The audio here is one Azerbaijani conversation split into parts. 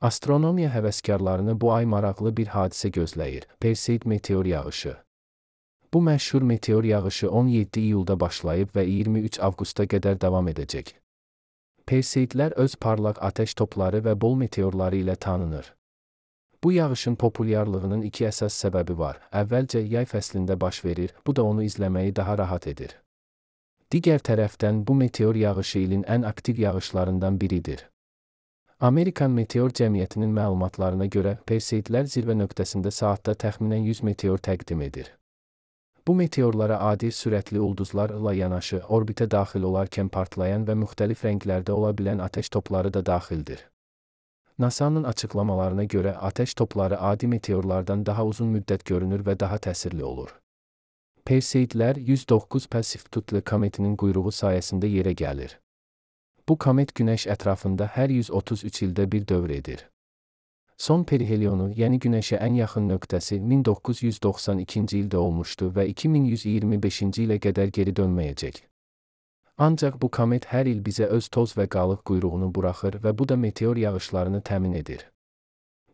Astronomiya həvəskarlarını bu ay maraqlı bir hadisə gözləyir: Perseid meteor yağışı. Bu məşhur meteor yağışı 17 iyulda başlayıb və 23 avqusta qədər davam edəcək. Perseidlər öz parlaq atəş topları və bol meteorları ilə tanınır. Bu yağışın populyarlığının iki əsas səbəbi var. Əvvəlcə yay fəslində baş verir, bu da onu izləməyi daha rahat edir. Digər tərəfdən bu meteor yağışı ilin ən aktiv yağışlarından biridir. Amerikan Meteor Cəmiyyətinin məlumatlarına görə Perseidlər zirvə nöqtəsində saatda təxminən 100 meteor təqdim edir. Bu meteorlara adi sürətli ulduzlarla yanaşı orbitə daxil olarkən partlayan və müxtəlif rənglərdə ola bilən atəş topları da daxildir. NASA-nın açıqlamalarına görə atəş topları adi meteorlardan daha uzun müddət görünür və daha təsirli olur. Perseidlər 109 Persefutli kometinin quyruğu sayəsində yerə gəlir. Bu komet Günəş ətrafında hər 133 ildə bir dövr edir. Son perihelionu, yəni Günəşə ən yaxın nöqtəsi 1992-ci ildə olmuşdu və 2125-ci ilə qədər geri dönməyəcək. Ancaq bu komet hər il bizə öz toz və qalıq quyruğunu buraxır və bu da meteor yağışlarını təmin edir.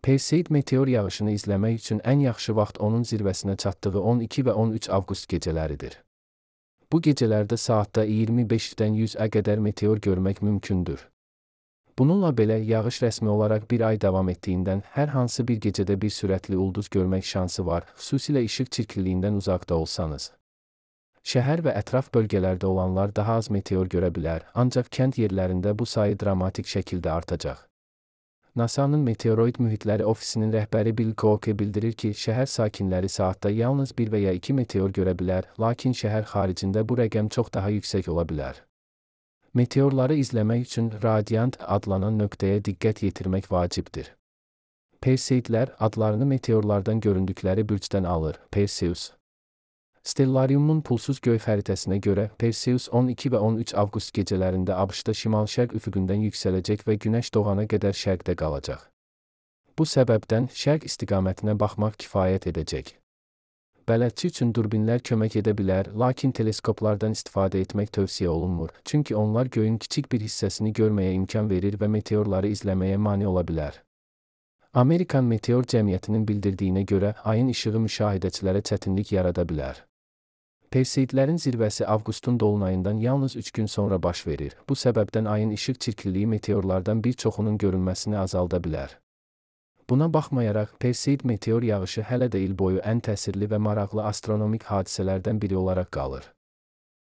Perseid meteor yağışını izləmək üçün ən yaxşı vaxt onun zirvəsinə çatdığı 12 və 13 avqust gecələridir. Bu gecələrdə saatda 25-dən 100-ə qədər meteor görmək mümkündür. Bununla belə yağış rəsmi olaraq bir ay davam etdiyindən hər hansı bir gecədə bir sürətli ulduz görmək şansı var, xüsusilə işıq çirkliyindən uzaqda olsanız. Şəhər və ətraf bölgələrdə olanlar daha az meteor görə bilər, ancaq kənd yerlərində bu sayı dramatik şəkildə artacaq. NASA-nın Meteoroid Mühitləri Ofisinin rəhbəri Bill Koke bildirir ki, şəhər sakinləri saatda yalnız 1 və ya 2 meteor görə bilər, lakin şəhər xaricində bu rəqəm çox daha yüksək ola bilər. Meteorları izləmək üçün radiant adlanan nöqtəyə diqqət yetirmək vacibdir. Perseidlər adlarını meteorlardan göründükləri bürcdən alır: Perseus. Stellariumun pulsuz göy xəritəsinə görə Perseus 12 və 13 avqust gecələrində ABŞ-da şimal-şərq üfüqündən yüksələcək və günəş doğana qədər şərqdə qalacaq. Bu səbəbdən şərq istiqamətinə baxmaq kifayət edəcək. Bələdçi üçün durbinlər kömək edə bilər, lakin teleskoplardan istifadə etmək tövsiyə olunmur, çünki onlar göyün kiçik bir hissəsini görməyə imkan verir və meteorları izləməyə mane ola bilər. Amerikan Meteor Cəmiyyətinin bildirdiyinə görə ayın işığı müşahidəçilərə çətinlik yarada bilər. Perseidlərin zirvəsi avqustun dolunayından yalnız 3 gün sonra baş verir. Bu səbəbdən ayın işıq çirkliliyi meteorlardan bir çoxunun görünməsini azalda bilər. Buna baxmayaraq, Perseid meteor yağışı hələ də il boyu ən təsirli və maraqlı astronomik hadisələrdən biri olaraq qalır.